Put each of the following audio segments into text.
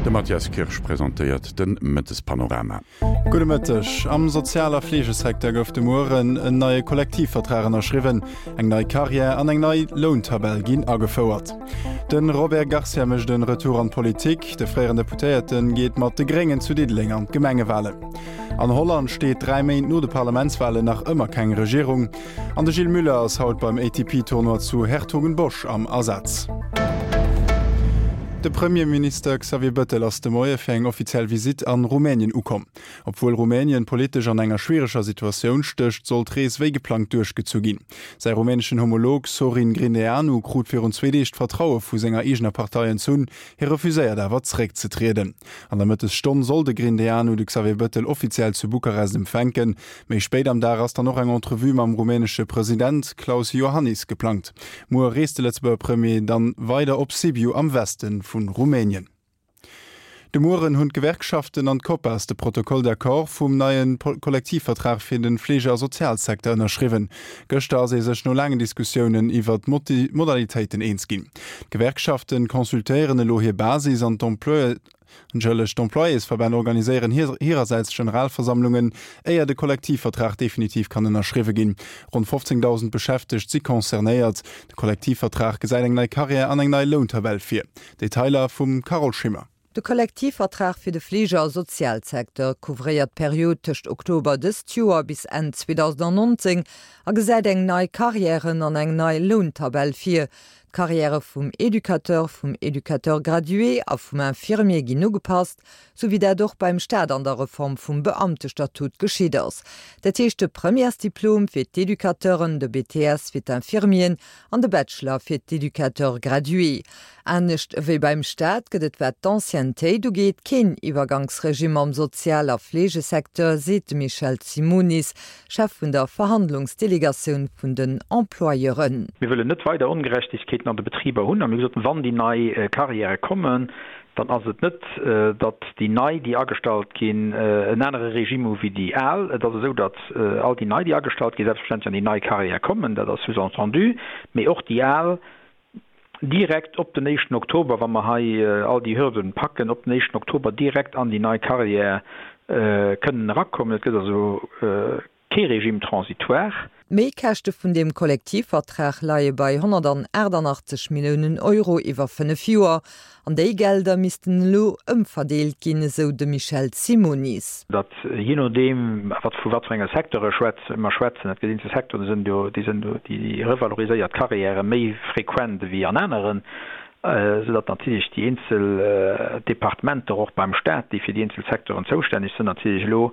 De Mathias Kirsch presentéiert de Mëttespanorama. Gudde Mëtteg. Am Sozial a Fleegesecteur gouf de Mueren en neie Kollektivvertrag ënnerschriwwen. Eng nei Karriär an eng nei Lountabell ginn agefouert. De Robert Garcia mécht e Retour an d'Politik. De fréieren Deputéierte geet mat de Gréngen zu Diddeleng an d'Gemengewalen. An Holland steet 3 Méint no de Parlamentswalen nach ëmmer keng Regierung. An de Gilles Muller ass haut beim ATP-Tournoi zu Hertogenbosch am Asaz. De Premierminister Xavier Bëttel ass de Moie fir eng offiziell Visitt an Rumänien ukomm. Obwuel Rumänien politesch an enger schwiereger Situatioun stécht, soll d'Rees wéi geplangt duerchgezu ginn. Säi rumäneschen Homolog Sorin Grindeanu krut virun zwee Deeg d'Vertraue vu senger eegener Partei entzunn. Hie refuséiert awer zeréckzetrieden. An der Mëttesstonn soll de Grindeanu de Xavier Bëttel offiziell zu Bukarest empfänken. Méi spéit am Dag ass dann och eng Entrevue mam rumänesche President Klaus Iohannis geplangt. Muer reest de Lëtzebuerger Premier dann weider op Sibiu am Weste vu Rumänien. De Mueren hunn d'Gewerkschaften an d'Copas de Protocole d'accord vum neie Kollektivvertrag fir de Fleege a Sozialsecteur ënnerschriwwen. Gëschter ass ee sech no laangen Diskussiounen iwwer d'Modalitéiten eens ginn. D'Gewerkschafte consultéieren elo hir Basis an d'Employeuren. Entschëllegt, d'Employésverbänn organiséieren hirersäits Generalversammlungen, éier de Kollektivvertrag definitiv kann ënnerschriwwe ginn. Ronn 15.000 Beschäftegt si concernéiert. De Kollektivvertrag gesäit eng nei Karriär an eng nei Lountabell vir. Detailer vum Carole Schimmer. De Kollektivvertrag fir de Fleege a Sozialsecteur couvréiert d'Period tëscht Oktober dëst Joer bis Enn 2019 a gesäit eng nei Karriären an eng nei Lountabell vir. D'Carrièrë vum Educateur, vum Educateur gradué a vum Infirmier ginn ugepasst, sou wéi dat och beim Staat an der Reform vum Beamtestatut geschitt ass. Dat heescht de Premièresdiplom fir d'Educateuren, de BTS fir d'Infirmieren an de Bachelor fir d'Educateurs gradués. Anescht ewéi beim Staat gëtt et wat d'Anciennetéit ugeet keen Iwwergangsregimm am Sozial a Fleegesecteur, seet de Michel Simonis, Chef vun der Verhandlungsdelegatioun vun den Employeuren. Mir wëllen net weider Ongerechtegkeeten an de Betriber hunn a mir hu gesot, wann déi nei Carrièrë kommen, dann ass et net, datt déi nei, déi agestallt ginn, en anere Regime hu wéi déi al. Et ass esou, datt all déi nei, déi agestallt ginn, selbstverständlech an déi nei Carrière kommen, dat ass sous-entendu, mee och déi al direkt op den éischten Oktober, wa mer hei all déi Hürden packen, op den éischten Oktober direkt an déi nei Carrière kënnen erakommen. Et gëtt also kee Régime transitoire. D'Méikäschte vun deem Kollektivvertrag leie bei 188 Milliounen Euro iwwer 5 Joer. An déi Gelder missten elo ëmverdeelt ginn, esou de Michel Simonis. Datt jee nodeem, wat vu wat fir enge Secteure mer schwätzen, et gëtt eenzel Secteuren, déi sinn do, déi sinn do, déi revaloriséiert Carrièrë méi frequent ewéi an aneren, soudatt natierlech déi eenzel Departementer och beim Stat, déi fir déi eenzel Secteuren zoustänneg sinn, natierlech elo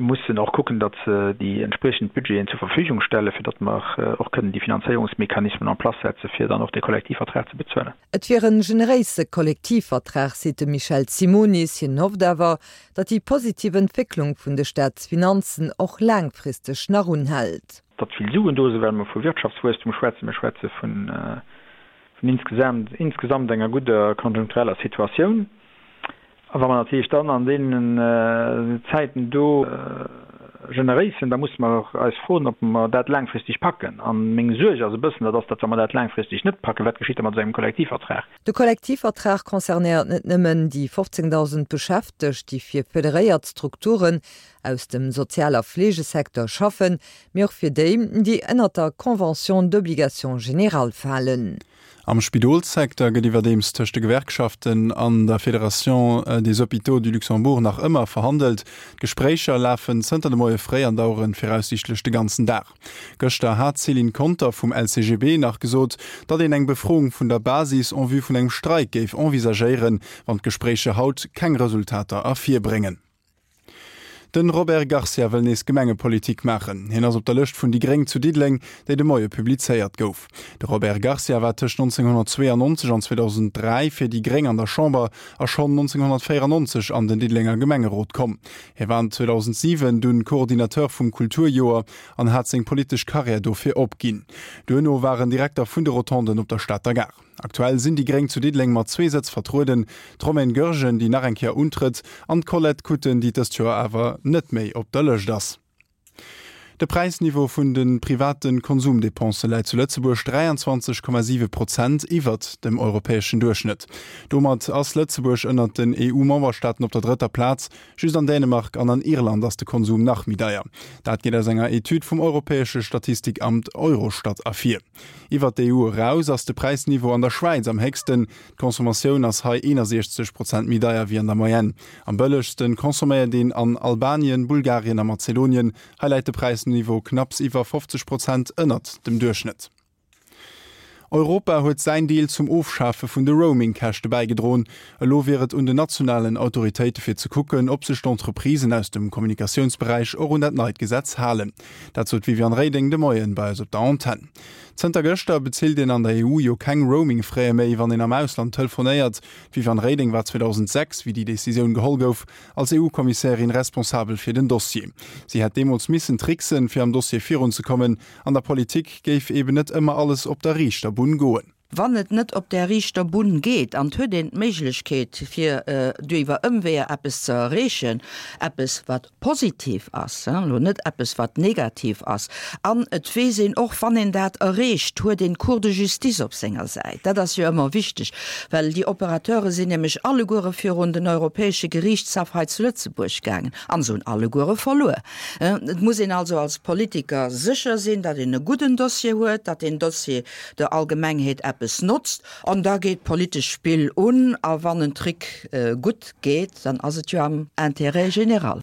mussen och kucken, datt se déi entspriechend Budgeten zur Verfügung stellen, fir datt mer och kënnen déi Finanzéierungsmechanismen en place setzen, fir dann och dee Kollektivvertrag ze bezuelen. Et wier en generéise Kollektivvertrag, seet de Michel Simonis. Hien hofft awer, datt déi positiv Entwécklung vun de Staatsfinanzen och laangfristeg nach unhält. Datt vill Suen do sinn, well mer vu Wirtschaftswuesstum schwätzen, mir schwätze vun insgesamt insgesamt enger gudder konjunktureller Situatioun. A wa mer natierlech dann an deenen Zäiten do generéis sinn, da musse mer och eis froen, ob mer dat laangfristeg packen. A meng Suerg ass e bëssen, dat ass, datt wa mer dat laangfristeg net packen, wat geschitt da mat esou engem Kollektivvertrag? De Kollektivvertrag concernéiert net nëmmen déi 15.000 Beschäftegt, déi fir federéiert Strukturen aus dem Sozial a Fleegesecteur schaffen, mee och fir déi, déi ënnert der Convention d'obligation générale falen. Am Spidolssecteur gëtt iwwerdeems tëscht de Gewerkschaften an der Fédération des Hôpitaux du Luxembourg nach ëmmer verhandelt. D'Gespréicher lafen zënter de Moie fréi an dauere viraussiichtlech de ganzen Dag. Gëschter hat d'Céline Conter vum LCGB nach gesot, datt een eng Befroung vun der Basis en vue vun engem Streik géif envisagéieren, wann d'Gespréicher haut keng Resultater ervirbréngen. Den Robert Garcia wëll nees Gemengepolitik maachen. Hien ass op der Lëscht vun déi Gréng zu Diddeleng, déi de Moie publizéiert gouf. De Robert Garcia war tëscht 1992 an 2003 fir déi Gréng an der Chamber a schonn 1994 an den Diddelenger Gemengerot komm. Hie war 2007 dunn Coordinateur vum Kulturjoer an hat seng politesch Karriär dofir opginn. Duerno war en Direkter vun de Rotonden op der Stater Gare. Aktuell sinn déi Gréng zu Diddeleng mat zwee Sëtz vertrueden, d'Romaine Goergen, déi nach eng Kéier untrëtt, an d'Colette Kutten, déi dëst Joer awer net méi op der Lëscht ass. De Präisniveau vun de private Konsumdepensë läit zu Lëtzebuerg 23,7 Prozent iwwert dem europäeschen Duerchschnëtt. Domat ass Lëtzebuerg ënnert den EU-Memberstaaten op der drëtter Plaz. Just an Dänemark an an Irland ass de Konsum nach méi deier. Dat geet aus enger Etüd vum europäesche Statistikamt Eurostat ervir. Iwwert d'EU eraus ass de Präisniveau an der Schwäiz am héchsten. D'Consommatioun ass hei 61 Prozent méi deier wéi an der Moyenne. Am bëllegste consomméiert een an Albanien, Bulgarien a Mazedonien. Hei läit de Präisniveau knapps iwwer 50 Prozent ënnert dem Duerchschnëtt. Europa huet säin Deel zum Ofschafe vun de Roaming-Käschte bäigedroen. Elo wier et un den nationalen Autoritéite fir ze kucken, ob sech d'Entreprisen aus dem Kommunikatiounsberäich och un dat neit Gesetz halen. Dat sot d'Viviane Reding de Moien bei eis op der Antenn. Zënter gëschter bezilt een an der EU jo keng Roaming-Fräe méi, wann een am Ausland telefonéiert. D'Viviane Reding war 2006, wéi déi Decisioun geholl gouf, als EU-Kommissärin responsabel fir den Dossier. Si hätt deemools missen tricksen, fir am Dossier virunzekommen. An der Politik géif eben net ëmmer alles op der riichter Bunn goen. Wann et net op där riichter Bunn geet an 't huet een d'Méiglechkeet fir duiwwer Ëmweeër eppes ze erreechen, eppes wat positiv ass, elo net eppes wat negativ ass, an et weess een och, wann een dat erreecht, huet een d'Cour de justice op senger Säit. Dat ass jo ëmmer wichteg, well déi Opérateure sinn nämlech alleguere virun den Europäesche Geriichtshaff hei zu Lëtzebuerg gaangen an se hunn alleguere verluer. Et muss een also als Politiker sécher sinn, datt een e gudden Dossier huet, datt deen Dossier der Allgemengheet eppes notzt, an da geet d'politesch Spill un, a wann en Trick gutt geet, dann ass et jo am Intérêt général.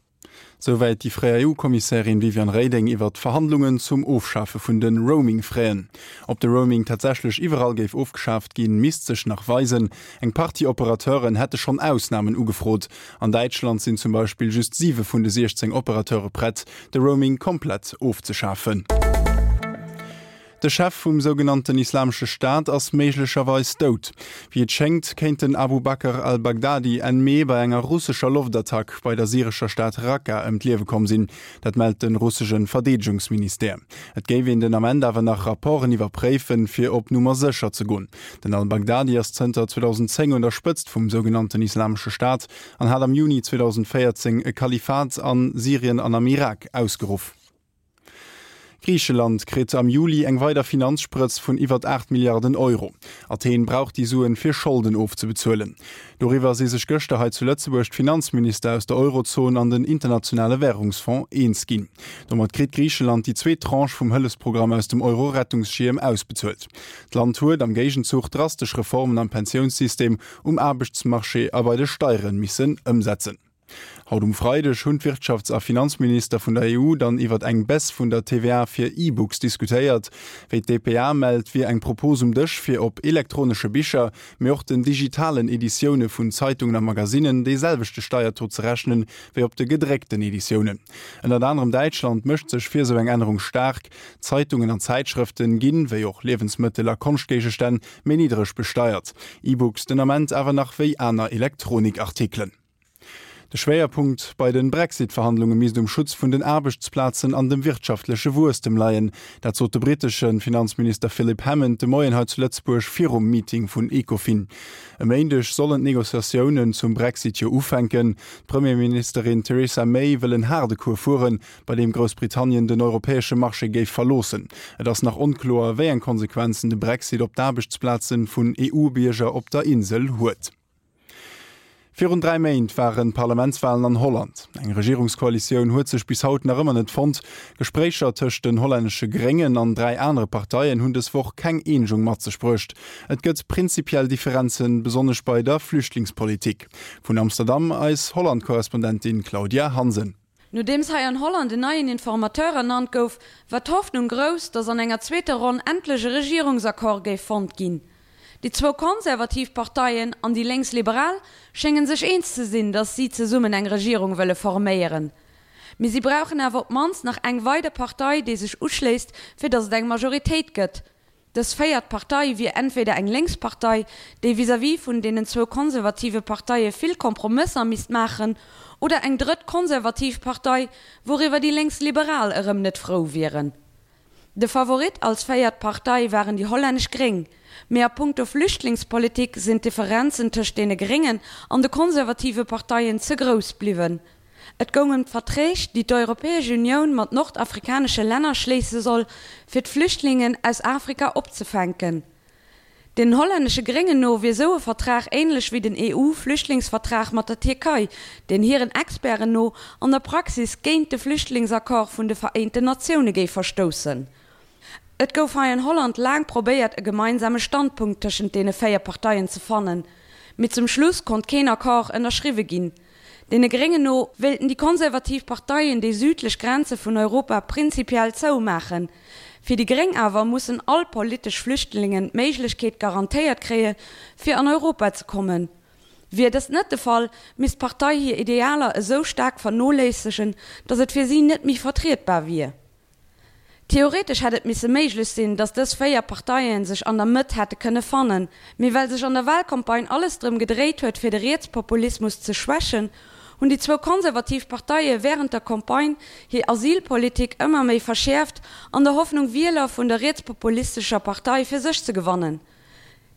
Souwäit déi fréier EU-Kommissärin Viviane Reding iwwer d'Verhandlungen zum Ofschafe vun de Roaming-Fräen. Ob de Roaming tatsächlech iwwerall géif ofgeschaaft ginn, misst sech nach weisen. Eng Partie Operateuren hätte schonn Ausnamen ugefrot. An Däitschland sinn zum Beispill just 7 vun de 16 Operateure prett, de Roaming komplett ofzeschafen. De Chef vum sougenannten Islamesche Staat ass méiglecherweis dout. Wéi et schéngt, kéint den Abu Bakr al-Baghdadi Enn Mee bei enger russescher Loftattack bei der syrescher Stad Raqqa ëm d'Liewe komm sinn. Dat mellt de russesche Verdeedegungsministère. Et géif een den Ament awer nach Rapporten iwwerpréifen, fir op Nummer sécher ze goen. Den al-Baghdadi ass zënter 2010 un der Spëtzt vum sougenannten Islamesche Staat an hat am Juni 2014 e Kalifat a Syrien an am Irak ausgeruff. Griicheland kritt am Juli eng weider Finanzsprëtz vun iwwert 8 Milliarden Euro. Athen brauch déi Suen, fir Scholden ofzebezuelen. Doriwwer si sech gëschter hei zu Lëtzebuerg d'Finanzminister aus der Eurozon an den Internationale Wärungsfonds eens ginn. Domat kritt Griicheland déi zweet Tranche vum Hëllefsprogramm aus dem Euro-Rettungsschierm ausbezuelt. D'Land huet am Géigenzuch drastesch Reformen am Pensiounssystem, um Aarbechtsmarché a bei de Steiere missen ëmsetzen. Haut um Freideg hunn d'Wirtschafts a Finanzminister vun der EU dann iwwert eng Baisse vun der TVA fir E-Books diskutéiert. Wéi d'dpa mellt, wier eng Propos um Dësch, fir op elektronesche Bicher, mee och den digitalen Editioune vun Zeitungen a Magasinnen dee selwechte Steiertaux ze rechnen, wéi op de gedréckten Editiounen. Ënnert anerem Däitschland mécht sech fir esou eng Ännerung staark. Zeitungen an Zäitschrëften ginn, wéi och Liewensmëttel a Konschtgéigestänn, méi niddreg besteiert. E-Books den Ament awer nach wéi aner Elektronikartikelen. De Schwéierpunkt bei de Brexit-Verhandlunge misst um Schutz vun den Aarbechtsplazen an dem wirtschaftleche Wuesstem leien. Dat sot de brittesche Finanzminister Philip Hammond de Moien hei zu Lëtzebuerg virum Meeting vun Ecofin. E Méindeg sollen d'Negociatiounen zum Brexit jo ufänken. D'Premierministerin Theresa May wëll en haarde Cours fueren, bei deem Groussbritannien den europäesche Marché géif verloossen. Et ass nach onkloer, wéi eng Konsequenzen de Brexit op d'Aarbechtsplaze vun EU-Bierger op der Insel huet. Virun 3 Méint waren d'Parlamentswalen an Holland. Eng Regierungskoalitioun huet sech bis haut nach ëmmer net fonnt. Gespréicher tëscht den hollännesche Gréngen an 3 anere Parteien hunn dës Woch keng Eenegung mat sech bruecht. Et gëtt prinzipiell Differenzen, besonnesch bei der Flüchtlingspolitik. Vun Amsterdam eis Holland-Korrespondentin Claudia Hansen. Nodeems hei an Holland en neien Informateur ernannt gouf, war d'Hoffnung grouss, datt an enger zweeter Ronn endlech e Regierungsaccord géif fonnt ginn. Déi zwou konservativ Parteien an déi lénks-liberal schénge sech eens ze sinn, datt si zesummen eng Regierung wëlle forméieren. Mee si brauchen awer op d'mannst nach eng weider Partei, déi sech uschléisst, fir datt et eng Majoritéit gëtt. Dës véiert Partei wier entweder eng lénks Partei, déi vis-à-vis vun deenen zwou konservative Parteie vill Kompromësser misst maachen, oder eng drëtt konservativ Partei, wouriwwer déi Lénksliberal erëm net frou wieren. De Favorit als véiert Partei waren déi hollännesch Gréng. Mee a punkto Flüchtlingspolitik sinn d'Differenzen tëscht deene Gréngen an de konservative Parteien ze grouss bliwwen. Et goung ëm d'Verträg, déi d'Europäesch Unioun mat nordafrikanesche Länner schléisse soll, fir d'Flüchtlingen aus Afrika opzefänken. Den hollännesche Gréngen no wier sou e Vertrag änlech wéi den EU-Flüchtlingsvertrag mat der Tierkei, deen hiren Experten no an der Praxis géint de Flüchtlingsaccord vun de Vereenten Natioune géif verstoussen. Et gouf hei an Holland laang probéiert e gemeinsame Standpunkt tëschent deene 4 Parteien ze fannen, mee zum Schluss konnt keen Accord ënnerschriwwe ginn. Deene Gréngen no wéilten déi konservativ Parteien déi südlech Grenze vun Europa prinzipiell zoumaachen. Fir déi Gréng awer mussen all politesch Flüchtlingen d'Méiglechkeet garantéiert kréie fir an Europa ze kommen. Wier dëst net de Fall, misst d'Partei hir Idealer esou staark vernoléissegen, datt et fir si net méi vertrietbar wier. Theoretesch hätt et misse méiglech sinn, datt dës 4 Parteie sech an der Mëtt hätte kënne fannen, mee well sech an der Wahlcampagne alles drëm gedréit huet fir de Rietspopulismus ze schwächen, hunn déi zwou konservativ Parteie wärend der Campagne hir Asylpolitik ëmmer méi verschäerft, an der Hoffnung Wieler vun der rietspopulistescher Partei fir sech ze gewannen.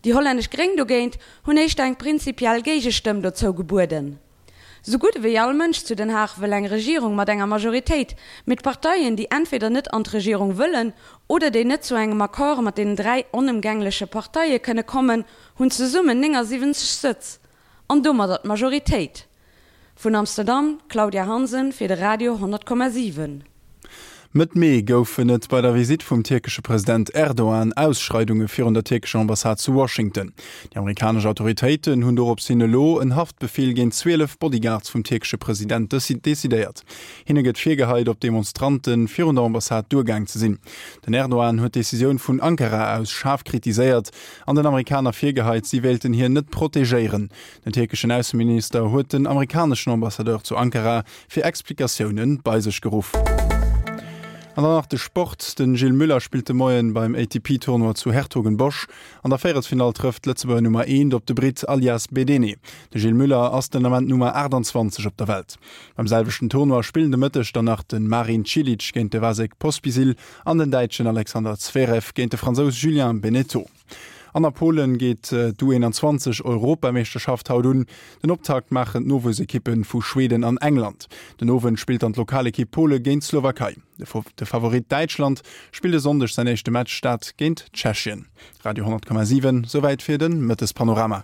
Déi hollännesch Gréng dogéint hunn éischter eng prinzipiell Géigestëmm dozou gebueden. Sou gutt ewéi all Mënsch zu Den Haag wëll eng Regierung mat enger Majoritéit, mee d'Parteien, déi entweder net an d'Regierung wëllen oder déi net zu engem Accord mat deenen 3 onëmgängleche Parteie kënne kommen, hunn zesummen 79 Sëtz an domadder d'Majoritéit. Vun Amsterdam, d'Claudia Hansen fir de Radio 10,7. Mëtt Mee goufen et bei der Visitt vum tierkesche President Erdogan Ausschreidunge virun der tierkescher Ambassade zu Washington. Déi amerikanesch Autoritéiten hunn dorops hin elo en Haftbefeel géint 12 Bodyguards vum tierkesche President decidéiert. Hinne gëtt virgeheit, op Demonstrante virun der Ambassade duergaang ze sinn. Den Erdogan huet d'Decisioun vun Ankara aus schaarf kritiséiert an den Amerikaner virgeheit, si wéilten hien net protegéieren. Den tierkeschen Ausseminister huet den amerikaneschen Ambassadeur zu Ankara fir Explikatioune bei sech geruff. An dann nach de Sport, Den Gilles Müller spillt de Moien beim ATP-Tournoi zu Hertogenbosch. An der Véierelsfinall trëfft d'Lëtzebuerger Nummer Eent op de Britt Alias Bedene. De Gilles Müller ass den Ament Nummer 28 op der Welt. Beim selwechten Tournoi spillen de Mëtteg dann nach de Marin Cilic géint de Vasek Pospisil an den Däitschen Alexander Zverev géint de Fransous Julien Benneteau. An a Polen geet d'U21 Europameeschterschaft haut un. Den Optakt maachen d'Nowuessekippe vu Schweden an England. Den Owend spillt dann d'Lokalekipp Pole géint d'Slowakei. De Favorit Däitschland spillt e Sonndeg säin éischte Match, dat géint Tschechien. Radio 10,7, souwäit fir de Mëttespanorama.